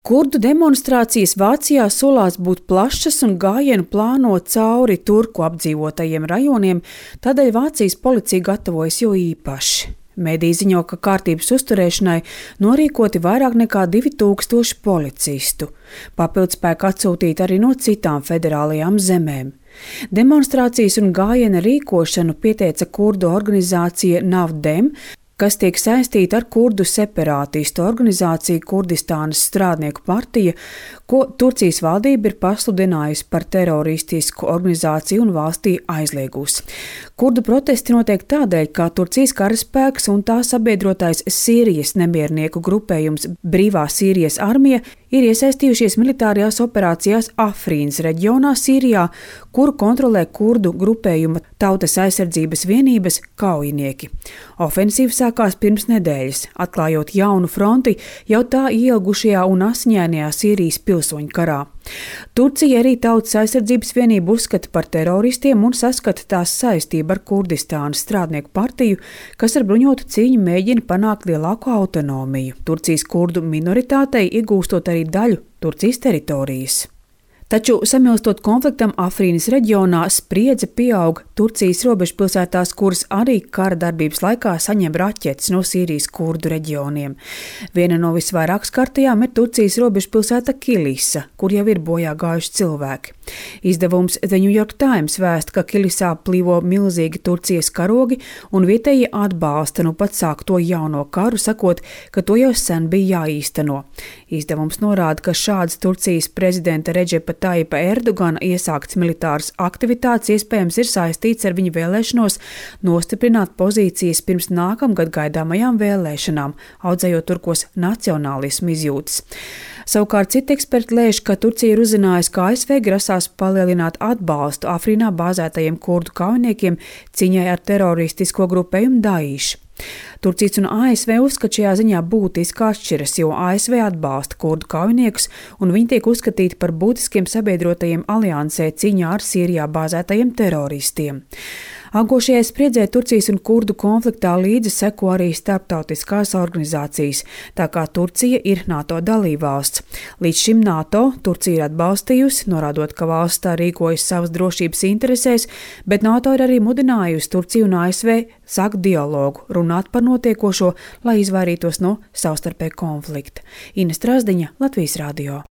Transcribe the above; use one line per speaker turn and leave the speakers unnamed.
Kurdu demonstrācijas Vācijā solās būt plašas un gājienu plāno cauri turku apdzīvotajiem rajoniem, tādēļ Vācijas policija gatavojas jo īpaši. Mediji ziņo, ka kārtības uzturēšanai norīkoti vairāk nekā 2000 policistu. Papildspēku atsūtīti arī no citām federālajām zemēm. Demonstrācijas un gājiena rīkošanu pieteica kurdu organizācija Navdem, kas tiek saistīta ar kurdu separātistu organizāciju Kurdistānas strādnieku partija, ko Turcijas valdība ir pasludinājusi par teroristisku organizāciju un valstī aizliegusi. Kurdu protesti notiek tādēļ, ka Turcijas karaspēks un tā sabiedrotais Sīrijas nemiernieku grupējums Brīvā Sīrijas armija ir iesaistījušies militārajās operācijās Afrinas reģionā Sīrijā, kuru kontrolē kurdu grupējuma Tautas aizsardzības vienības kaujinieki. Ofensīva sākās pirms nedēļas, atklājot jaunu fronti jau tā ielgušajā un asiņainajā Sīrijas pilsoņu karā. Turcija arī Tautas aizsardzības vienību uzskata par teroristiem un saskata tās saistību ar Kurdistānas strādnieku partiju, kas ar bruņotu cīņu mēģina panākt lielāku autonomiju. Turcijas kurdu minoritātei iegūstot arī daļu Turcijas teritorijas. Taču, samilstot konfliktam Afrinas reģionā, spriedze pieaug Turcijas robežpilsētās, kuras arī kara darbības laikā saņem raķetes no Sīrijas kurdu reģioniem. Viena no visvairāk skartajām ir Turcijas robežpilsēta Kilisa, kur jau ir bojā gājuši cilvēki. Izdevums The New York Times vēsta, ka Kilisā plīvo milzīgi Turcijas karogi un vietējie atbalsta nu pat sākto jauno karu, sakot, ka to jau sen bija jāīsteno. Izdevums norāda, ka šāds Turcijas prezidenta Redžepa Taipa Erdogana iesākts militāras aktivitātes iespējams ir saistīts ar viņa vēlēšanos nostiprināt pozīcijas pirms nākamgad gaidāmajām vēlēšanām, audzējot turkos nacionālismu izjūtas. Savukārt citi eksperti lēš, ka Turcija ir uzzinājusi, ka ASV grasās palielināt atbalstu Afrinā bāzētajiem kurdu kaujiniekiem cīņai ar teroristisko grupējumu Daesh. Turcijas un ASV uzskata šajā ziņā būtiski atšķiras, jo ASV atbalsta kurdu kaujiniekus un viņi tiek uzskatīti par būtiskiem sabiedrotajiem aliansē cīņā ar Sīrijā bāzētajiem teroristiem. Augošajai spriedzē Turcijas un kurdu konfliktā līdzi seko arī starptautiskās organizācijas, tā kā Turcija ir NATO dalībvalsts. Līdz šim NATO Turcija ir atbalstījusi, norādot, ka valsts tā rīkojas savas drošības interesēs, bet NATO ir arī mudinājusi Turciju un ASV sākt dialogu, runāt par notiekošo, lai izvairītos no savstarpēja konflikta. Ines Trasdiņa, Latvijas radio.